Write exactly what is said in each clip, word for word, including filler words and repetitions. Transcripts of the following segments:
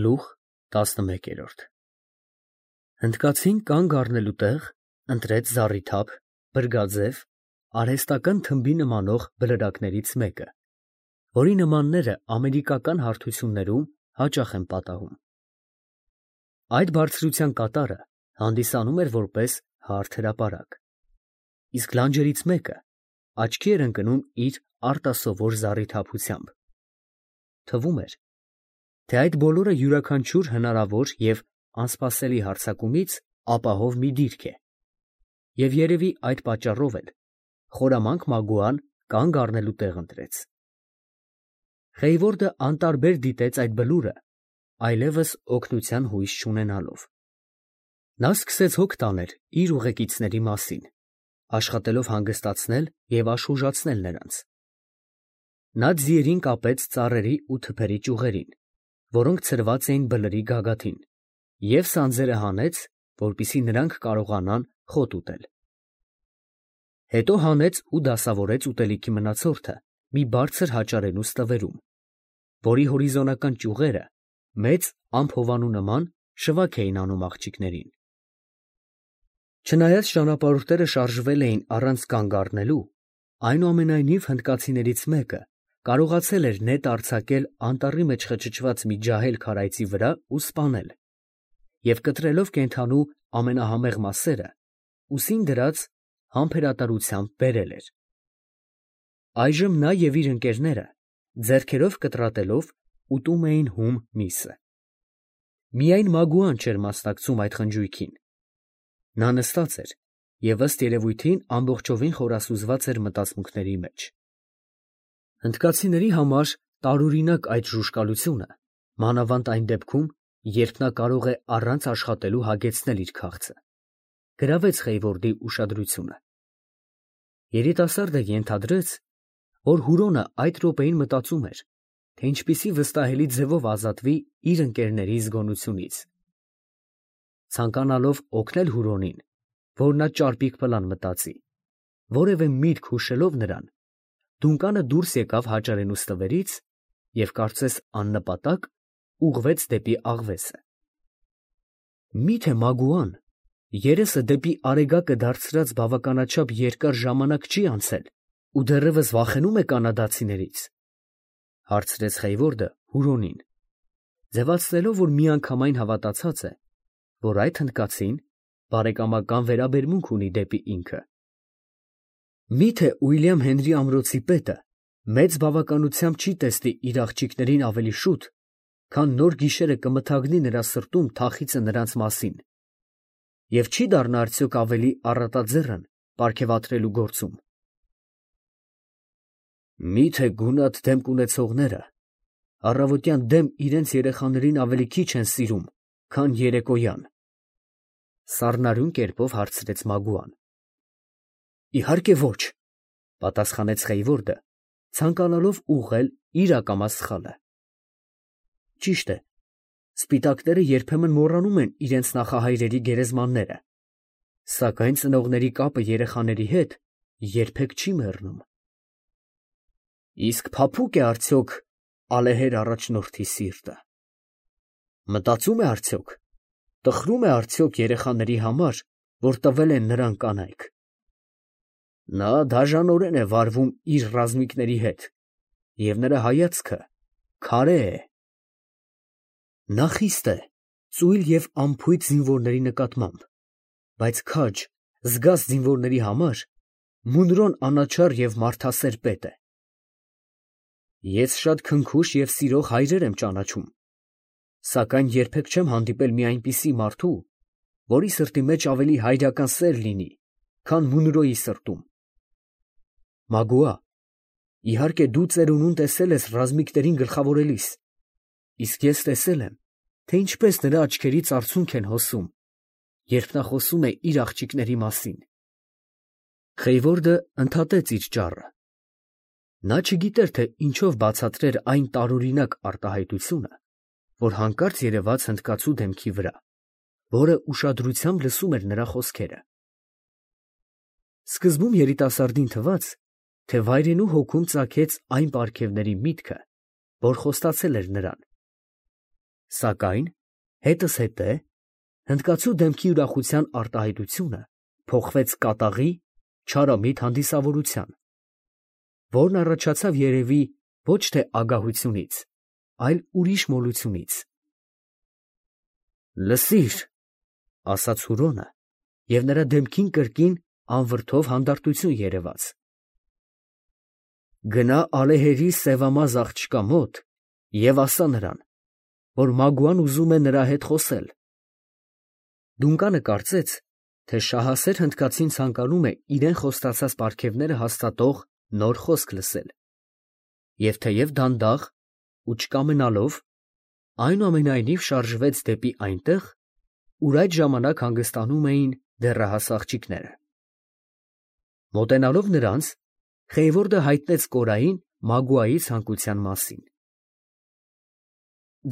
Գլուխ տասնմեկերորդ Հնդկացին կանգ առնելու տեղ ընտրեց զառիթափ, բրգաձև, արհեստական թմբի նմանող բլրակներից մեկը, որի նմանները ամերիկական հարթություններում հաճախ են պատահում։ Այդ բարձրության կատարը հանդիսանում էր որպես հարթ հրապարակ, իսկ լանջերից մեկը աչքի էր ընկնում իր արտասովոր զառիթափությամբ։ Թվում էր, թե այդ բոլորը յուրաքանչյուր հնարավոր և անսպասելի հարձակումից ապահով մի դիրք է, և երևի այդ պատճառով էլ խորամանկ Մագուան կանգ առնելու տեղ ընտրեց։ Խեյվորդը անտարբեր դիտեց այդ բլուրը, այլևս օգնության հույս չունենալով։ Նա սկսեց հոգ տանել իր ուղեկիցների մասին, աշխատելով հանգստացնել և աշխուժացնել նրանց։ Նա ձիերին կապեց ծառերի ու թփերի ճյուղերին, որոնք ցրված էին բլրի գագաթին, և սանձերը հանեց, որպեսզի նրանք կարողանան խոտ ուտել։ Հետո հանեց ու դասավորեց ուտելիքի մնացորդը մի բարձր հաճարենու ստվերում, որի հորիզոնական ճյուղերը մեծ ամփովանու նման շվակ էին անում աղջիկներին։ Չնայած ճանապարհորդները շարժվել էին առանց կանգ առնելու, այնուամենայնիվ հնդկացիներից մեկը կարողացել էր նետ արձակել անտառի մեջ խճճված մի ջահել քարայծի վրա ու սպանել, և կտրելով կենդանու ամենահամեղ մասերը, ուսին դրած համբերատարությամբ բերել էր։ Այժմ նա և իր ընկերները ձեռքերով կտրատելով ուտում էին հում միսը։ Միայն Մագուան չէր մասնակցում այդ խնջույքին։ Նա նստած էր և ըստ երևույթին ամբողջովին խորասուզված էր մտածմունքների մեջ։ Հնդկացիների համար տարօրինակ այդ ժուժկալությունը, մանավանդ այն դեպքում, երբ նա կարող է առանց աշխատելու հագեցնել իր քաղցը, գրավեց Խեյվորդի ուշադրությունը։ Երիտասարդը ենթադրեց, որ Հուրոնը այդ րոպեին մտածում էր, թե ինչպիսի վստահելի ձևով ազատվի իր ընկերների զգոնությունից։ Ցանկանալով օգնել Հուրոնին, որ նա ճարպիկ պլան մտածի, որևէ միտք հուշելով նրան, դունկանը դուրս եկավ հաճարենու ստվերից և կարծես աննպատակ ուղղվեց դեպի աղվեսը։ Մի՞թե Մագուան երեսը դեպի արեգակը դարձրած բավականաչափ երկար ժամանակ չի անցել ու դեռևս վախենում է կանադացիներից, ֊ հարցրեց Խեյվորդը Հուրոնին, ձևացնելով, որ միանգամայն հավատացած է, որ այդ հնդկացին բարեկամական վերաբերմունք ունի դեպի ինքը։ Մի՞թե Ուիլյամ Հենրի ամրոցի պետը մեծ բավականությամբ չի տեսնի իր աղջիկներին ավելի շուտ, քան նոր գիշերը կմթագնի նրա սրտում թախիծը նրանց մասին, և չի դառնա արդյոք ավելի առատաձեռն պարգևատրելու գործում։ Մի՞թե գունատ դեմք ունեցողները առավոտյան դեմ իրենց երեխաներին ավելի քիչ են սիրում, քան երեկոյան, ֊ սառնարյուն կերպով հարցրեց Մագուան։ Իհարկե ոչ, ֊ պատասխանեց Խեյվորդը, ցանկանալով ուղղել իր ակամա սխալը։ Ճիշտ է, սպիտակները երբեմն մոռանում են իրենց նախահայրերի գերեզմանները, սակայն ծնողների կապը երեխաների հետ երբեք չի մեռնում։ Իսկ փափուկ է արդյոք ալեհեր առաջնորդի սիրտը, մտածում է արդյոք, տխրում է արդյոք երեխաների համար, որ տվել են նրան կանայք։ Նա դաժանորեն է վարվում իր ռազմիկների հետ, և նրա հայացքը քարե է։ Նա խիստ է, ծույլ և անփույթ զինվորների նկատմամբ, բայց քաջ, զգաստ զինվորների համար Մունրոն անաչառ և մարդասեր պետ է։ Ես շատ քնքուշ և սիրող հայրեր եմ ճանաչում, սակայն երբեք չեմ հանդիպել մի այնպիսի մարդու, որի սրտի մեջ ավելի հայրական սեր լինի, քան Մունրոյի սրտում։ Մագուա, իհարկե դու ծերունուն տեսել ես ռազմիկներին գլխավորելիս, իսկ ես տեսել եմ, թե ինչպես նրա աչքերից արցունք են հոսում, երբ նա խոսում է իր աղջիկների մասին։ Խեյվորդը ընդհատեց իր ճառը։ Նա չգիտեր, թե ինչով բացատրեր այն տարօրինակ արտահայտությունը, որ հանկարծ երևաց հնդկացու դեմքի վրա, որը ուշադրությամբ լսում էր նրա խոսքերը։ Սկզբում երիտասարդին թվաց, թե վայրենու հոգում ծագեց այն պարգևների միտքը, որ խոստացել էր նրան, Սակայն հետս հետե հնդկացու դեմքի ուրախության արտահայտությունը փոխվեց կատաղի, չարամիտ հանդիսավորության, որն առաջացավ երևի ոչ թե ագահությունից, այլ ուրիշ մոլությունից։ «Լսիր», ֊ ասաց Հուրոնը, և նրա դեմքին կրկին անվրդով հանդարտություն երևաց. «Գնա ալեհերի սևամազ աղջկա մոտ և ասա նրան, որ Մագուան ուզում է նրա հետ խոսել»։ Դունկանը կարծեց, թե շահասեր հնդկացին ցանկանում է իրեն խոստացած պարգևները հաստատող նոր խոսք լսել, և թեև դանդաղ ու չկամենալով, այնուամենայնիվ շարժվեց դեպի այնտեղ, ուր այդ ժամանակ հանգստանում էին դեռահաս աղջիկները։ Մոտենալով նրանց, Խեյվորդը հայտնեց Կորային Մագուայի ցանկության մասին։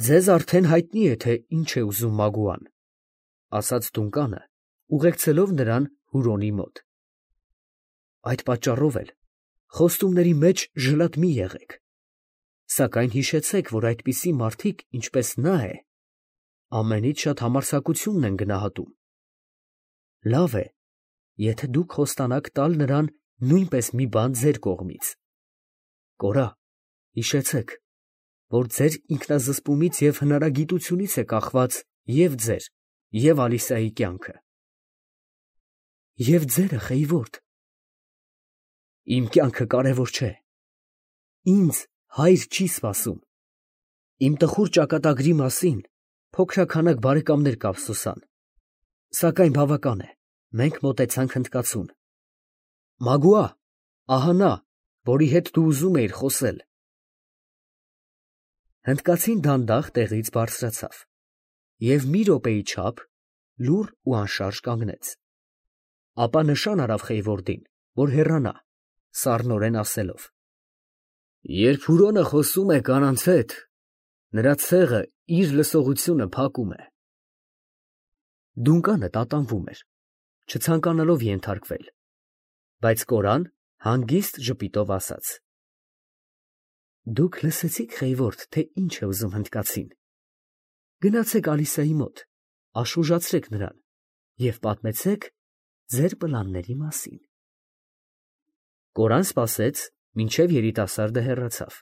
«Ձեզ արդեն հայտնի է, թե ինչ է ուզում Մագուան», ֊ ասաց Դունկանը, ուղեկցելով նրան Հուրոնի մոտ։ «Այդ պատճառով էլ խոստումների մեջ ժլատ մի եղեք, սակայն հիշեցեք, որ այդպիսի մարդիկ, ինչպես նա է, ամենից շատ համարձակությունն են գնահատում։ Լավ է, եթե դուք խոստանաք տալ նրան նույնպես մի բան ձեր կողմից։ Կորա, հիշեցեք, որ ձեր ինքնազսպումից և հնարագիտությունից է կախված և ձեր, և Ալիսայի կյանքը։ Եվ ձերը, Խեյվորդ։ Իմ կյանքը կարևոր չէ։ Ինձ հայր չի սպասում։ Իմ տխուր ճակատագրի մասին փոքրաքանակ բարեկամներ կափսոսան, սակայն բավական է, մենք մոտեցանք հնդկացուն։ Մագուա, ահա նա, որի հետ դու ուզում էիր խոսել։ Հնդկացին դանդաղ տեղից բարձրացավ և մի րոպեի չափ լուռ ու անշարժ կանգնեց, ապա նշան արավ Խեյվորդին, որ հեռանա, սառնորեն ասելով. «Երբ Հուրոնը խոսում է կանանց հետ, նրա ցեղը իր լսողությունը փակում է»։ Դունկանը տատանվում էր, չցանկանալով ենթարկվել, բայց Կորան հանգիստ ժպիտով ասաց. «Դուք լսեցիք, Խեյվորդ, թե ինչ է ուզում հնդկացին. գնացեք Ալիսայի մոտ, աշխուժացրեք նրան և պատմեցեք ձեր պլանների մասին»։ Կորան սպասեց, մինչև երիտասարդը հեռացավ,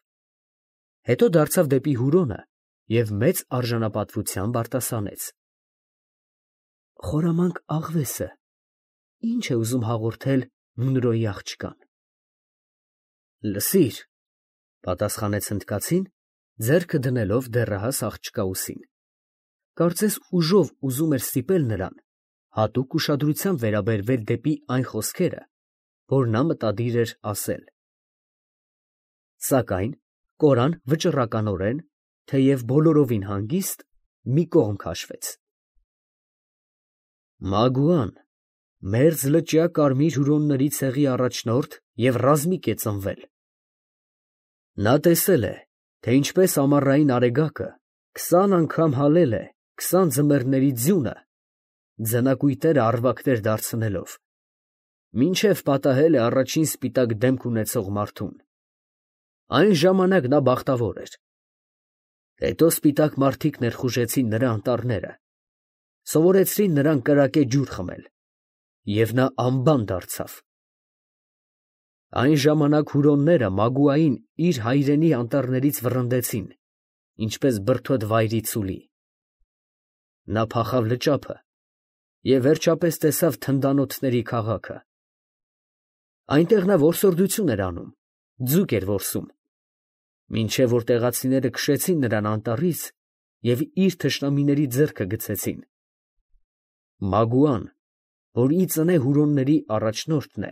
հետո դարձավ դեպի Հուրոնը և մեծ արժանապատվությամբ արտասանեց. «Խորամանկ աղվեսը ի՞նչ է ուզում հաղորդել Մունրոյի աղջկան»։ «Լսիր», ֊ պատասխանեց հնդկացին, ձեռքը դնելով դեռահաս աղջկա ուսին, կարծես ուժով ուզում էր ստիպել նրան հատուկ ուշադրությամբ վերաբերվել դեպի այն խոսքերը, որ նա մտադիր էր ասել։ Սակայն Կորան վճռականորեն, թեև բոլորովին հանգիստ, մի կողմ քաշվեց։ «Մագուան մերձլճյա կարմիր հյուրոնների ցեղի առաջնորդ և ռազմիկ է ծնվել։ Նա տեսել է, թե ինչպես ամառային արեգակը քսան անգամ հալել է քսան ձմեռների ձյունը, ձնակույտերը առվակներ դարձնելով, մինչև պատահել է առաջին սպիտակ դեմք ունեցող մարդուն։ Այն ժամանակ նա բախտավոր էր։ Հետո սպիտակ մարդիկ ներխուժեցին նրա անտառները, սովորեցրին նրան կրակե ջուր խմել, և նա անբան դարձավ։ Այն ժամանակ հյուրոնները Մագուային իր հայրենի անտառներից վռնդեցին, ինչպես բրդոտ վայրի ցուլի։ Նա փախավ լճափը և վերջապես տեսավ թնդանոթների քաղաքը։ Այնտեղ նա որսորդություն էր անում, ձուկ էր որսում, մինչև որ տեղացիները քշեցին նրան անտառից և իր թշնամիների ձեռքը գցեցին։ Մագուան, որ ի ծնե հյուրոնների առաջնորդն է,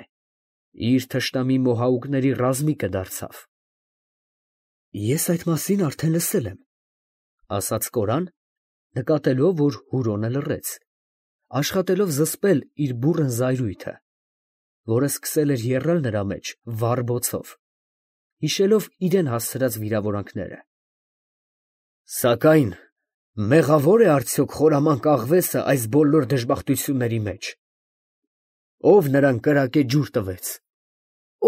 իր թշնամի մոհաուկների ռազմիկը դարձավ։ «Ես այդ մասին արդեն լսել եմ», ֊ ասաց Կորան, նկատելով, որ Հուրոնը լռեց, աշխատելով զսպել իր բուռն զայրույթը, որը սկսել էր եռալ նրա մեջ վառ բոցով, հիշելով իրան հասցրած վիրավորանքները։ «Սակայն մեղավո՞ր է արդյոք խորամանկ աղվեսը այս բոլոր դժբախտությունների մեջ։ Ո՞վ նրան կրակե ջուր տվեց,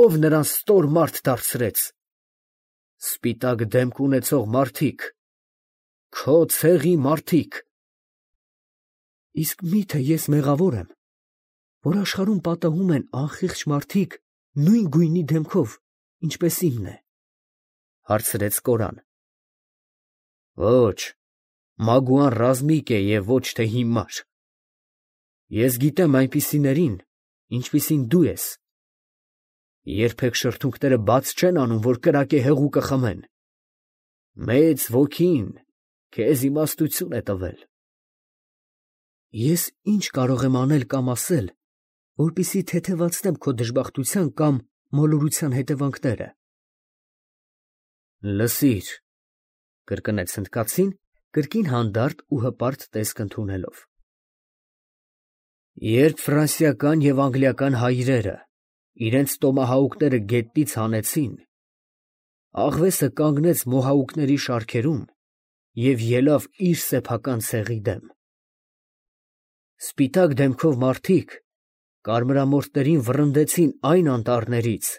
ո՞վ նրան ստոր մարդ դարձրեց։ Սպիտակ դեմք ունեցող մարդիկ, Քո ցեղի մարդիկ։ Իսկ մի՞թե ես մեղավոր եմ, որ աշխարհում պատահում են անխիղճ մարդիկ նույն գույնի դեմքով, ինչպես իմն է, հարցրեց Կորան։ Ոչ, Մագուան ռազմիկ է և ոչ թե հիմար։ Ես գիտեմ այնպիսիներին, ինչպիսին դու ես։ Երբեք շրթունքները բաց չեն անում, որ կրակե հեղուկը խմեն։ Մեծ ոգին քեզ իմաստություն է տվել։ Ես ինչ կարող եմ անել կամ ասել, որպեսզի թեթևացնեմ քո դժբախտության կամ մոլորության հետևանքները։ Լսիր, կրկնեց հնդկացին, կրկին հանդարտ ու հպարտ տեսք ընդունելով։ Երբ ֆրանսիական և անգլիական հայրերը իրենց տոմահաուկները գետնից հանեցին, աղվեսը կանգնեց մոհաուկների շարքերում և ելավ իր սեփական ցեղի դեմ։ Սպիտակ դեմքով մարդիկ կարմրամորթներին վռնդեցին այն անտառներից,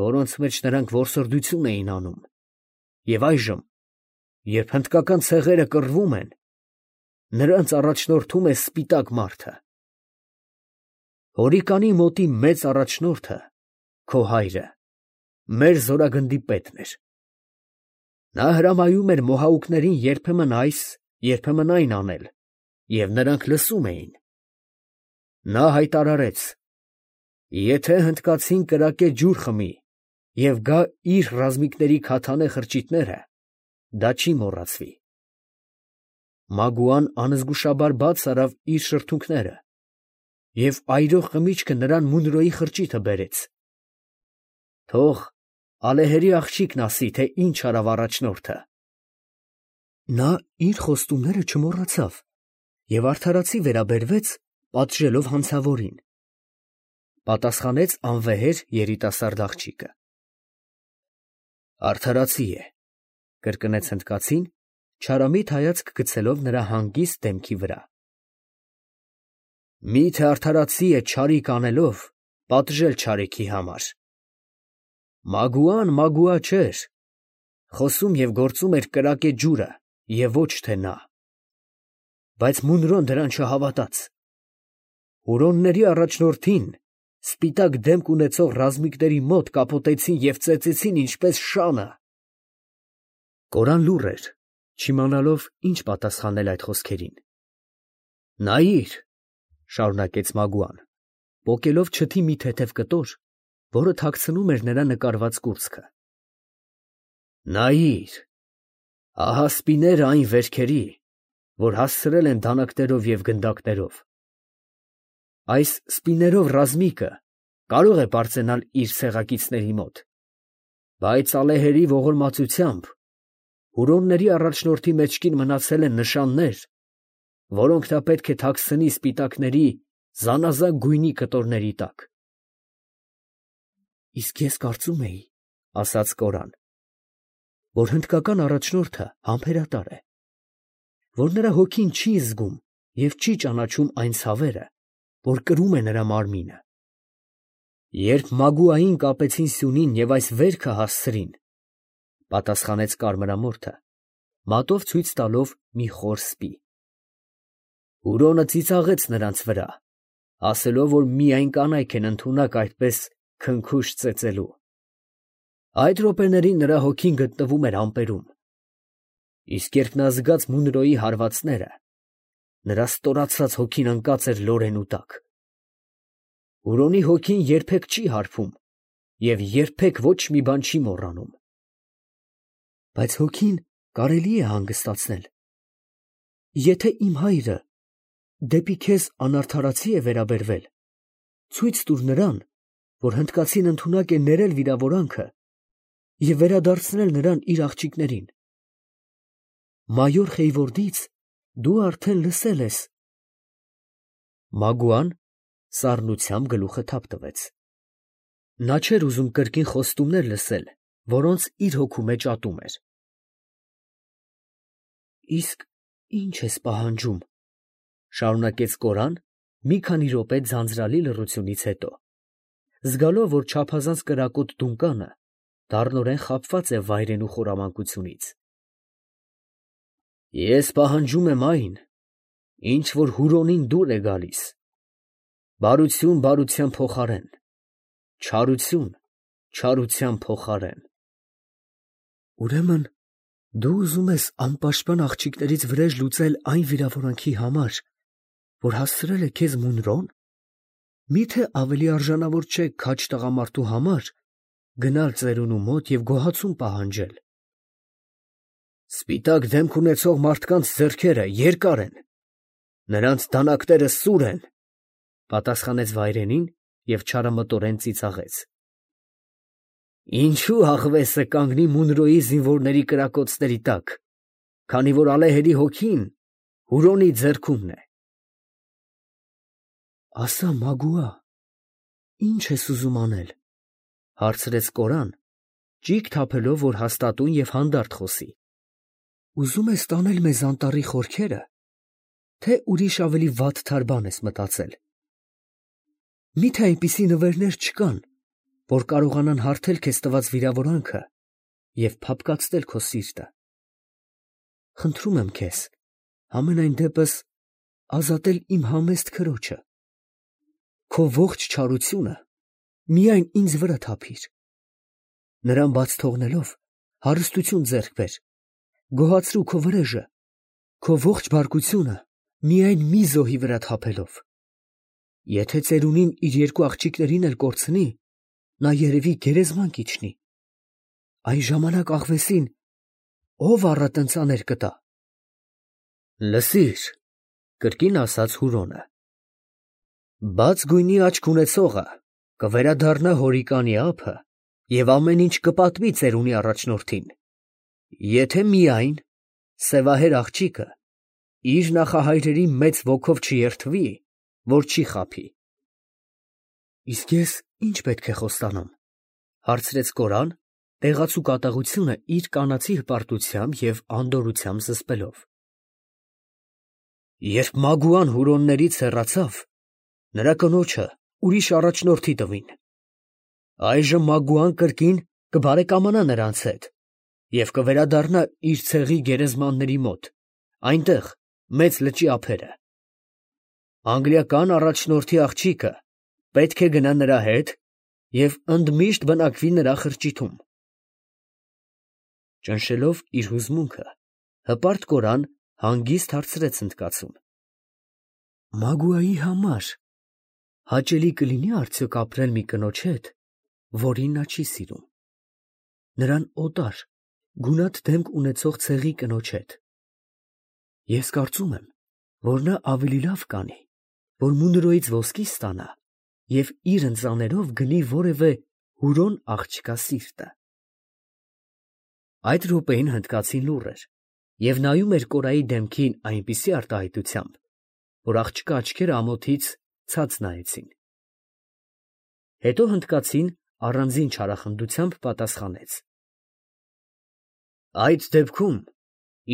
որոնց մեջ նրանք որսորդություն էին անում, և այժմ, երբ հնդկական ցեղերը կռվում են, նրանց առաջնորդում է սպիտակ մարդը։ Հորիկանի մոտի մեծ առաջնորդը, քո հայրը, մեր զորագնդի պետն էր։ Նա հրամայում էր մոհաուկներին երբեմն այս, երբեմն այն անել, և նրանք լսում էին։ Նա հայտարարեց. «Եթե հնդկացին կրակե ջուր խմի և գա իր ռազմիկների քաթանե խրճիթները, դա չի մոռացվի»։ Մագուան անզգուշաբար բաց արավ իր շրթունքները, և այրող խմիչքը նրան Մունրոյի խրճիթը բերեց։ Թող ալեհերի աղջիկն ասի, թե ինչ արավ առաջնորդը։ Նա իր խոստումները չմոռացավ և արդարացի վերաբերվեց, պատժելով հանցավորին, պատասխանեց անվեհեր երիտասարդ աղջիկը։ Արդարացի է, կրկնեց հնդկացին, չարամիտ հայացք գցելով նրա հանգիստ դեմքի վրա։ Մի՞թե արդարացի է չարիք անելով պատժել չարիքի համար։ Մագուան Մագուա չէր, խոսում և գործում էր կրակե ջուրը և ոչ թե նա։ Բայց Մունրոն դրան չհավատաց։ Հուրոնների առաջնորդին սպիտակ դեմք ունեցող ռազմիկների մոտ կապոտեցին և ծեծեցին ինչպես շանը։ Կորան լուռ էր, չիմանալով ինչ պատասխանել այդ խոսքերին։ Նայիր, շարունակեց Մագուան, պոկելով չթի մի թեթև կտոր, որը թաքցնում էր նրա նկարված կուրծքը։ Նայիր, ահա սպիները այն վերքերի, որ հասցրել են դանականերով և գնդակներով։ Այս սպիներով ռազմիկը կարող է պարծենալ իր ցեղակիցների մոտ, բայց ալեհերի ողորմածությամբ հուրոնների առաջնորդի մեջքին մնացել են նշաններ, որոնք նա պետք է թաքցնի սպիտակների զանազան գույնի կտորների տակ։ Իսկ ես կարծում էի, ասաց Կորան, որ հնդկական առաջնորդը համբերատար է, որ նրա հոգին չի զգում և չի ճանաչում այն ցավերը, որ կրում է նրա մարմինը։ Երբ Մագուային կապեցին սյունին և այս վերքը հասցրին, պատասխանեց կարմրամորթը, մատով ցույց տալով մի խոր սպի։ Հուրոնը ծիծաղեց նրանց վրա, ասելով, որ միայն կանայք են ընդունակ այդպես քնքուշ ծեծելու։ Այդ րոպեներին նրա հոգին գտնվում էր ամպերում։ Իսկ երբ նա զգաց Մունրոյի հարվածները, նրա ստորացած հոգին ընկած էր լորենու տակ։ Հուրոնի հոգին երբեք չի հարբում և երբեք ոչ մի բան չի մոռանում։ Բայց հոգին կարելի է հանգստացնել։ Եթե իմ հայրը դեպի քեզ անարդարացի է վերաբերվել, ցույց տուր նրան, որ հնդկացին ընդունակ է ներել վիրավորանքը և վերադարձնել նրան իր աղջիկներին։ Մայոր Խեյվորդից դու արդեն լսել ես։ Մագուան սառնությամբ գլուխը թափ տվեց։ Նա չէր ուզում կրկին խոստումներ լսել, որոնց իր հոգու մեջ ատում էր։ Իսկ ի՞նչ ես պահանջում, շարունակեց Կորան մի քանի րոպե ձանձրալի լռությունից հետո, զգալով, որ չափազանց կրակոտ դունականը դառնորեն խաբված է վայրենու խորամանկությունից։ Ես պահանջում եմ այն, ինչ որ Հուրոնին դուր է գալիս. բարություն բարության փոխարեն, չարություն չարության փոխարեն։ Ուրեմն դու ուզում ես անպաշտպան աղջիկներից վրեժ լուծել այն վիրավորանքի համար, որ հասցրել է քեզ Մունրոն։ Միթե ավելի արժանավոր չէ քաջ տղամարդու համար գնալ ծերունու մոտ և գոհացում պահանջել։ Սպիտակ դեմք ունեցող մարդկանց ձեռքերը երկար են, նրանց դանակները սուր են, պատասխանեց վայրենին և չարամտորեն ծիծաղեց։ Ինչու աղվեսը կանգնի Մունրոյի զինվորների կրակոցների տակ, քանի որ ալեհերի հոգին Հուրոնի ձեռքումն է։ Ասա, Մագուա, ի՞նչ ես ուզում անել, հարցրեց Կորան, ճիգ թափելով, որ հաստատուն և հանդարտ խոսի։ Ուզում ես տանել մեզ անտառի խորքերը, թե ուրիշ ավելի վատ թար բան ես մտածել։ Միթե այնպիսի նվերներ չկան, որ կարողանան հարթել քեզ տված վիրավորանքը և փափկացնել քո սիրտը։ Խնդրում եմ քեզ, համենայն դեպս ազատել իմ համեստ քրոջը։ Քո ողջ չարությունը միայն ինձ վրա թափիր։ Նրան բաց թողնելով, հարստություն ձեռք բեր, գոհացրու քո վրեժը, քո ողջ բարկությունը միայն մի զոհի վրա թափելով։ Եթե ծերունին իր երկու աղջիկներին էլ կորցնի, նա երևի գերեզման կիջնի։ Այն ժամանակ աղվեսին ո՞վ առատընծաներ կտա։ Լսիր, կրկին ասաց Հուրոնը, բաց գույնի աչք ունեցողը կվերադառնա հորիկանի ափը և ամեն ինչ կպատմի ծերունի առաջնորդին, եթե միայն սևահեր աղջիկը իր նախահայրերի մեծ ոգով չերթվի, որ չի խաբի։ Իսկ ես ի՞նչ պետք է խոստանամ, հարցրեց Կորան, տեղացու կատաղությունը իր կանացի հպարտությամբ և անդորրությամբ զսպելով։ Երբ Մագուան Հուրոններից հեռացավ, նրա կնոջը ուրիշ առաջնորդի տվին։ Այժմ Մագուան կրկին կբարեկամանա նրանց հետ և կվերադառնա իր ցեղի գերեզմանների մոտ, այնտեղ մեծ լճի ափերը։ Անգլիական առաջնորդի աղջիկը պետք է գնա նրա հետ և ընդմիշտ բնակվի նրա խրճիթում։ Ճնշելով իր հուզմունքը, հպարտ Կորան հանգիստ հարցրեց ընդկացում. Մագուայի համար հաճելի կլինի՞ արդյոք ապրել մի կնոջ հետ, որին նա չի սիրում, նրան օտար, գունատ դեմք ունեցող ցեղի կնոջ հետ։ Ես կարծում եմ, որ նա ավելի լավ կանի, որ Մունրոյից ոսկի ստանա և իր ընծաներով գնի որևէ Հուրոն աղջկա սիրտը։ Այդ րոպեին հնդկացին լուռ էր և նայում էր Կորայի դեմքին այնպիսի արտահայտությամբ, որ աղջկա աչքերը ամոթից ցած նայեցին։ Հետո հնդկացին առանձին չարախնդությամբ պատասխանեց. Այդ դեպքում,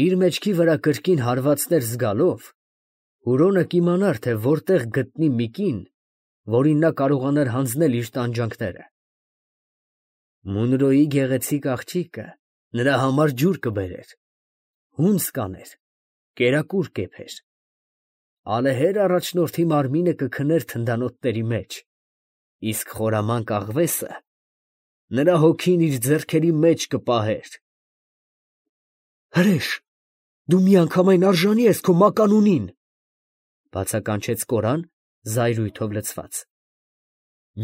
իր մեջքի վրա կրկին հարվածներ զգալով, Հուրոնը կիմանար, թե որտեղ գտնի մի կին, որին նա կարողանար հանձնել իր տանջանքները։ Մունրոյի գեղեցիկ աղջիկը նրա համար ջուր կբերեր, հունձ կաներ, կերակուր կեփեր, ալեհեր առաջնորդի մարմինը կքներ թնդանոթների մեջ, իսկ խորամանկ աղվեսը նրա հոգին իր ձեռքերի մեջ կպահեր։ Հրեշ, դու միանգամայն արժանի ես քո մականունին, բացականչեց Կորան զայրույթով լցված։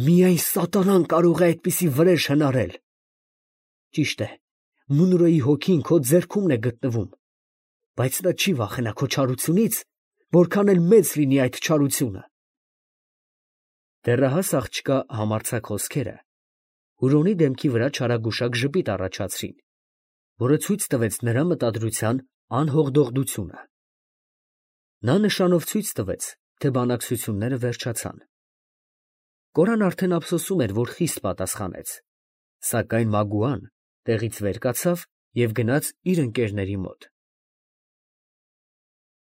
Միայն սատանան կարող է այդպիսի վրեժ հնարել։ Ճիշտ է, Մունրոյի հոգին քո ձեռքումն է գտնվում, բայց նա չի վախենա քո չարությունից, որքան էլ մեծ լինի այդ չարությունը։ Դեռահաս աղջկա համարձակ խոսքերը Հուրոնի դեմքի վրա չարագուշակ ժպիտ առաջացրին, որը ցույց տվեց նրա մտադրության անհողդողդությունը։ Նա նշանով ցույց տվեց, թե բանակցությունները վերջացան։ Կորան արդեն ափսոսում էր, որ խիստ պատասխանեց, սակայն Մագուան տեղից վեր կացավ և գնաց իր ընկերների մոտ։